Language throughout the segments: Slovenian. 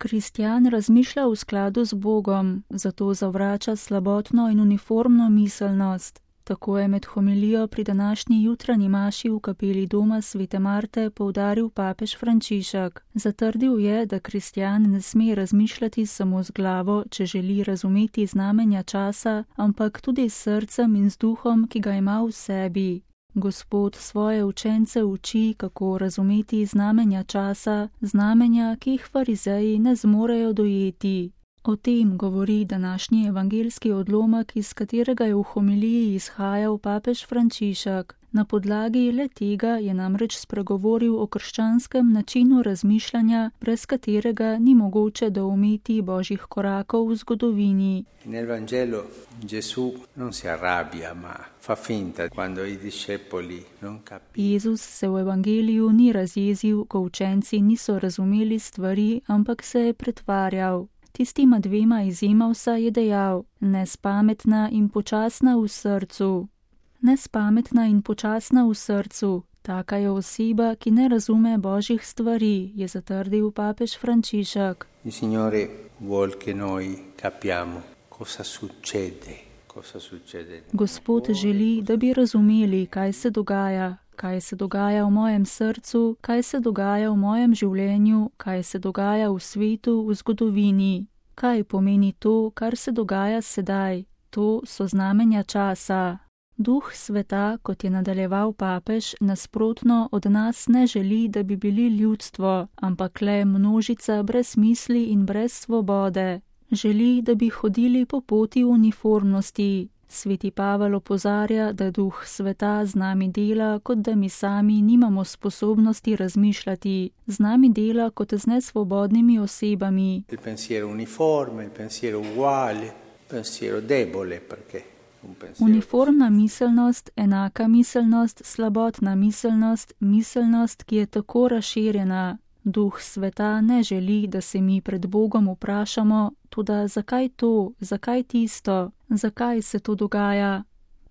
Kristjan razmišlja v skladu z Bogom, zato zavrača slabotno in uniformno miselnost. Tako je med homilijo pri današnji jutranji maši v kapeli doma svete Marte poudaril papež Frančišek. Zatrdil je, da kristjan ne sme razmišljati samo z glavo, če želi razumeti znamenja časa, ampak tudi s srcem in z duhom, ki ga ima v sebi. Gospod svoje učence uči, kako razumeti znamenja časa, znamenja, ki jih farizeji ne zmorejo dojeti. O tem govori današnji evangeljski odlomek, iz katerega je v homiliji izhajal papež Frančišek. Na podlagi le tega je namreč spregovoril o krščanskem načinu razmišljanja, brez katerega ni mogoče doumeti božjih korakov v zgodovini. Nel Vangelo Gesù non si arrabbia, ma fa finta quando i discepoli non capiscono. Jezus se v evangeliju ni razjezil, ko učenci niso razumeli stvari, ampak se je pretvarjal. Tistima dvema izjemavsa je dejal: nespametna in počasna v srcu. Nespametna in počasna v srcu, taka je oseba, ki ne razume božjih stvari, je zatrdil papež Frančišek. Il Signore vuol che noi capiamo cosa succede. Gospod želi, da bi razumeli, kaj se dogaja v mojem srcu, kaj se dogaja v mojem življenju, kaj se dogaja v svetu, v zgodovini. Kaj pomeni to, kar se dogaja sedaj? To so znamenja časa. Duh sveta, kot je nadaljeval papež, nasprotno od nas ne želi, da bi bili ljudstvo, ampak le množica brez misli in brez svobode. Želi, da bi hodili po poti uniformnosti. Sveti Pavel opozarja, da duh sveta z nami dela, kot da mi sami nimamo sposobnosti razmišljati, z nami dela kot z nesvobodnimi osebami. Il pensiero uniforme, il pensiero uguale, il pensiero debole, perché uniformna miselnost, enaka miselnost, slabotna miselnost, miselnost, ki je tako razširjena. Duh sveta ne želi, da se mi pred Bogom vprašamo, toda zakaj to, zakaj tisto, zakaj se to dogaja.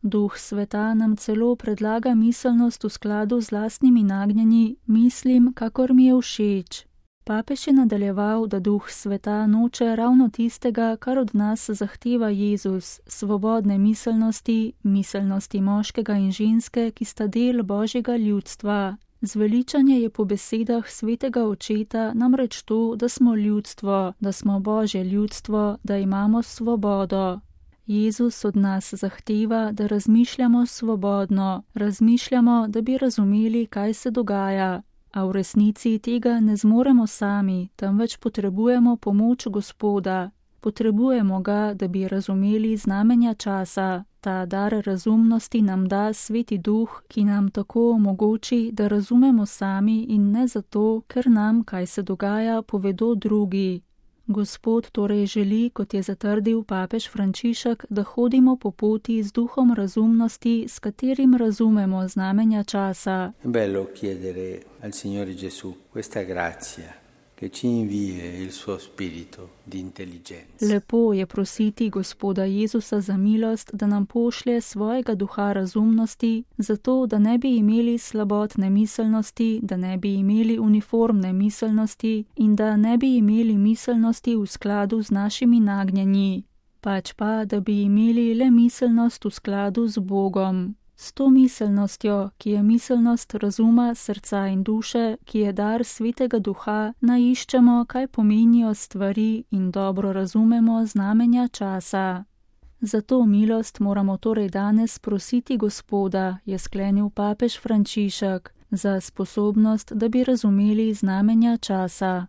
Duh sveta nam celo predlaga miselnost v skladu z lastnimi nagnjenji, mislim, kakor mi je všeč. Papež je nadaljeval, da duh sveta noče ravno tistega, kar od nas zahteva Jezus, svobodne miselnosti, miselnosti moškega in ženske, ki sta del božjega ljudstva. Zveličanje je po besedah svetega očeta namreč to, da smo ljudstvo, da smo božje ljudstvo, da imamo svobodo. Jezus od nas zahteva, da razmišljamo svobodno, razmišljamo, da bi razumeli, kaj se dogaja. A v resnici tega ne zmoremo sami, temveč potrebujemo pomoč Gospoda. Potrebujemo ga, da bi razumeli znamenja časa. Ta dar razumnosti nam da Sveti Duh, ki nam tako omogoči, da razumemo sami in ne zato, ker nam, kaj se dogaja, povedo drugi. Gospod torej želi, kot je zatrdil papež Frančišek, da hodimo po poti z duhom razumnosti, s katerim razumemo znamenja časa. Bello chiedere al Signore Gesù questa grazia che ci invie il suo spirito di intelligenza. Lepo je prositi Gospoda Jezusa za milost, da nam pošlje svojega duha razumnosti, zato da ne bi imeli slabotne miselnosti, da ne bi imeli uniformne miselnosti in da ne bi imeli miselnosti v skladu z našimi nagnjenji, pač pa, da bi imeli le miselnost v skladu z Bogom. S to miselnostjo, ki je miselnost razuma, srca in duše, ki je dar Svetega Duha, naiščemo, kaj pomenijo stvari in dobro razumemo znamenja časa. Za to milost moramo torej danes prositi Gospoda, je sklenil papež Frančišek, za sposobnost, da bi razumeli znamenja časa.